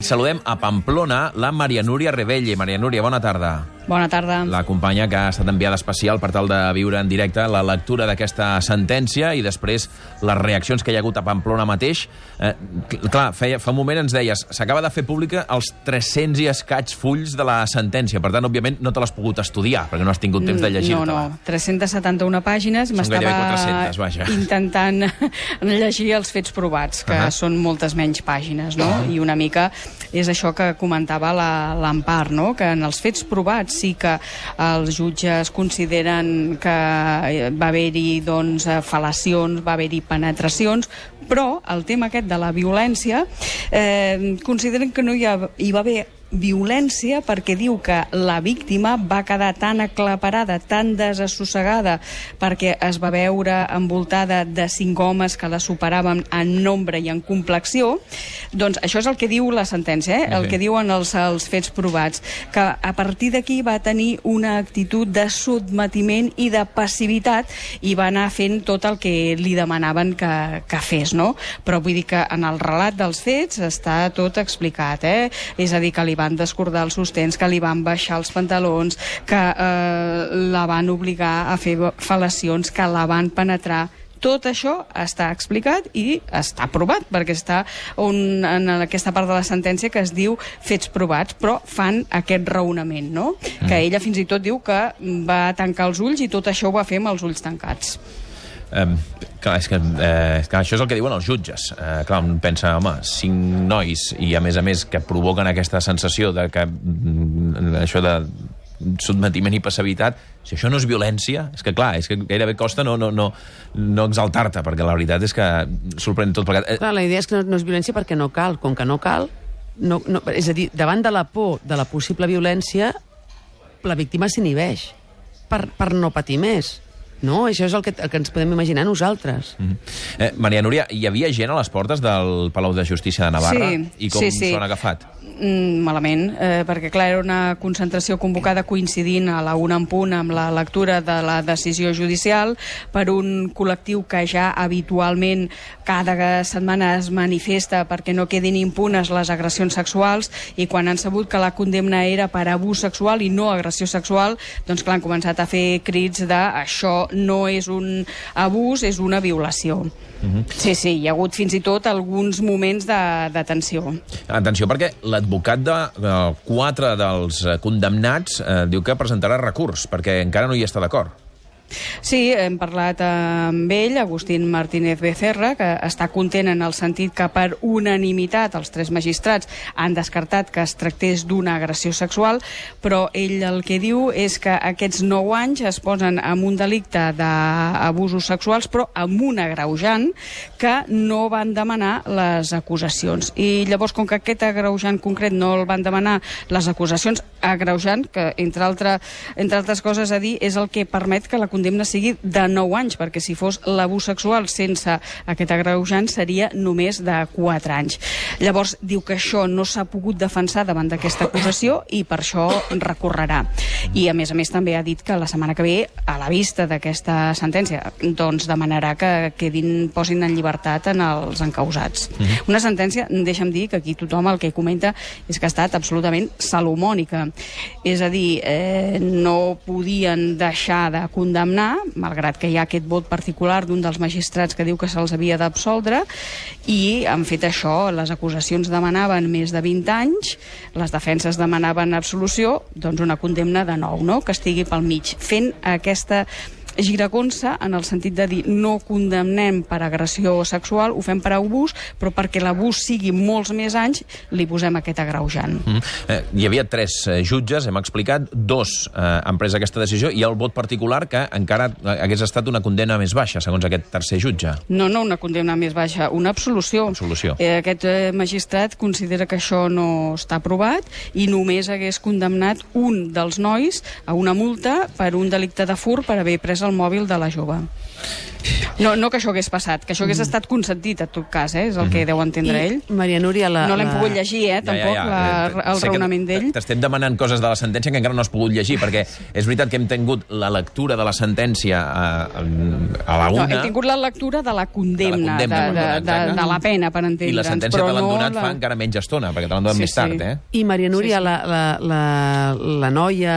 Saludem a Pamplona la Maria Núria Rebelle. Maria Núria, bona tarda. Bona tarda. La companya que ha estat enviada especial per tal de viure en directe la lectura d'aquesta sentència i després les reaccions que hi ha hagut a Pamplona mateix. Clar, fa un moment ens deies, s'acaba de fer pública els 300 i escaig fulls de la sentència. Per tant, òbviament, no te l'has pogut estudiar, perquè no has tingut temps de llegir-te-la. No, 371 pàgines. Són gairebé 400, vaja. Intentant llegir els fets provats, que són moltes menys pàgines, no? I una mica és això que comentava l'Empar, no? Que en els fets provats sí que els jutges consideren que va haver-hi fal·lacions, va haver-hi penetracions, però el tema aquest de la violència consideren que no hi va haver violència perquè diu que la víctima va quedar tan aclaparada, tan desassossegada perquè es va veure envoltada de 5 homes que la superaven en nombre i en complexió. Doncs això és el que diu la sentència, el que diuen els fets provats, que a partir d'aquí va tenir una actitud de sotmetiment i de passivitat i va anar fent tot el que li demanaven que fes, no? Però vull dir que en el relat dels fets està tot explicat, És a dir, que li van descordar els sostens, que li van baixar els pantalons, que la van obligar a fer fal·lacions, que la van penetrar. Tot això està explicat i està provat, perquè està en aquesta part de la sentència que es diu fets provats, però fan aquest raonament, no? Que ella fins i tot diu que va tancar els ulls i tot això ho va fer amb els ulls tancats. Clar, és que això és el que diuen els jutges. Clar, un pensa, home, 5 nois i a més que provoquen aquesta sensació de que això de sotmetiment i passivitat, si això no és violència, és que clar, és que gairebé costa no exaltar-te, perquè la veritat és que sorprèn tot plegat. Clar, la idea és que no és violència perquè no cal. Com que no cal, és a dir, davant de la por de la possible violència, la víctima s'inhibeix per no patir més. No, això és el que ens podem imaginar nosaltres. Maria Núria, hi havia gent a les portes del Palau de Justícia de Navarra? Sí, i com s'ho han agafat? Malament, perquè clar, era una concentració convocada coincidint a la 1 en punt amb la lectura de la decisió judicial per un col·lectiu que ja habitualment cada setmana es manifesta perquè no quedin impunes les agressions sexuals, i quan han sabut que la condemna era per abús sexual i no agressió sexual, doncs clar, han començat a fer crits de això no és un abús, és una violació. Sí, hi ha hagut fins i tot alguns moments de tensió. Atenció, perquè l'advocat de 4 dels condemnats diu que presentarà recurs, perquè encara no hi està d'acord. Sí, hem parlat amb ell, Agustín Martínez Becerra, que està content en el sentit que per unanimitat els 3 magistrats han descartat que es tractés d'una agressió sexual, però ell el que diu és que aquests 9 anys es posen amb un delicte d'abusos sexuals, però amb un agreujant que no van demanar les acusacions. I llavors, com que aquest agreujant concret no el van demanar les acusacions, agreujant, que entre altres coses a dir, és el que permet que la condemna sigui de 9 anys, perquè si fos l'abús sexual sense aquest agreujant seria només de 4 anys. Llavors diu que això no s'ha pogut defensar davant d'aquesta acusació i per això recorrerà. I a més també ha dit que la setmana que ve, a la vista d'aquesta sentència, doncs demanarà que posin en llibertat en els encausats. Una sentència, deixa'm dir que aquí tothom el que comenta és que ha estat absolutament salomònica. És a dir, no podien deixar de condemnar, malgrat que hi ha aquest vot particular d'un dels magistrats que diu que se'ls havia d'absoldre, i han fet això. Les acusacions demanaven més de 20 anys, les defenses demanaven absolució, doncs una condemna de 9, no? Que estigui pel mig, fent aquesta giragonsa en el sentit de dir no condemnem per agressió sexual, ho fem per abús, però perquè l'abús sigui molts més anys li posem aquest agreujant. Hi havia 3 jutges, hem explicat, 2 han pres aquesta decisió, i el vot particular que encara hagués estat una condemna més baixa, segons aquest tercer jutge. No una condemna més baixa, una absolució. Aquest magistrat considera que això no està aprovat i només hagués condemnat un dels nois a una multa per un delicte de furt per haver pres el mòbil de la jove. No que això hagués passat, que això hagués estat consentit, en tot cas, és el que deu entendre ell. Maria Núria, no l'hem pogut llegir, tampoc, el raonament d'ell. T'estem demanant coses de la sentència que encara no has pogut llegir, perquè és veritat que hem tingut la lectura de la sentència a la una... No, hem tingut la lectura de la condemna, de la pena, per entendre'ns. I la sentència te l'han donat fa encara menys estona, perquè te l'han donat més tard, eh? I Maria Núria, la noia,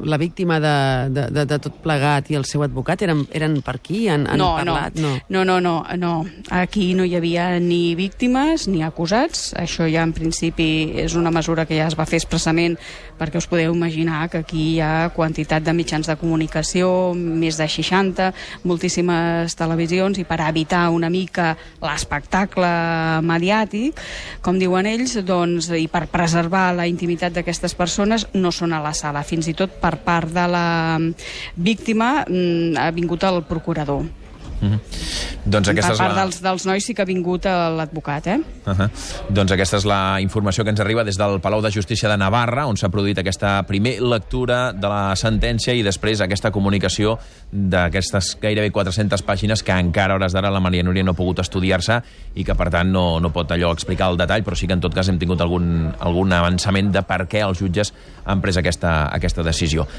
la víctima de tot plegat i el seu advocat eren per aquí? Han parlat? No. Aquí no hi havia ni víctimes ni acusats. Això ja en principi és una mesura que ja es va fer expressament perquè us podeu imaginar que aquí hi ha quantitat de mitjans de comunicació, més de 60, moltíssimes televisions, i per evitar una mica l'espectacle mediàtic, com diuen ells, doncs, i per preservar la intimitat d'aquestes persones, no són a la sala. Fins i tot per part de la víctima ha vingut el procurador. Doncs per part dels nois sí que ha vingut l'advocat, Doncs aquesta és la informació que ens arriba des del Palau de Justícia de Navarra, on s'ha produït aquesta primera lectura de la sentència i després aquesta comunicació d'aquestes gairebé 400 pàgines que encara a hores d'ara la Maria Núria no ha pogut estudiar-se i que per tant no pot allò explicar el detall, però sí que en tot cas hem tingut algun avançament de per què els jutges han pres aquesta decisió.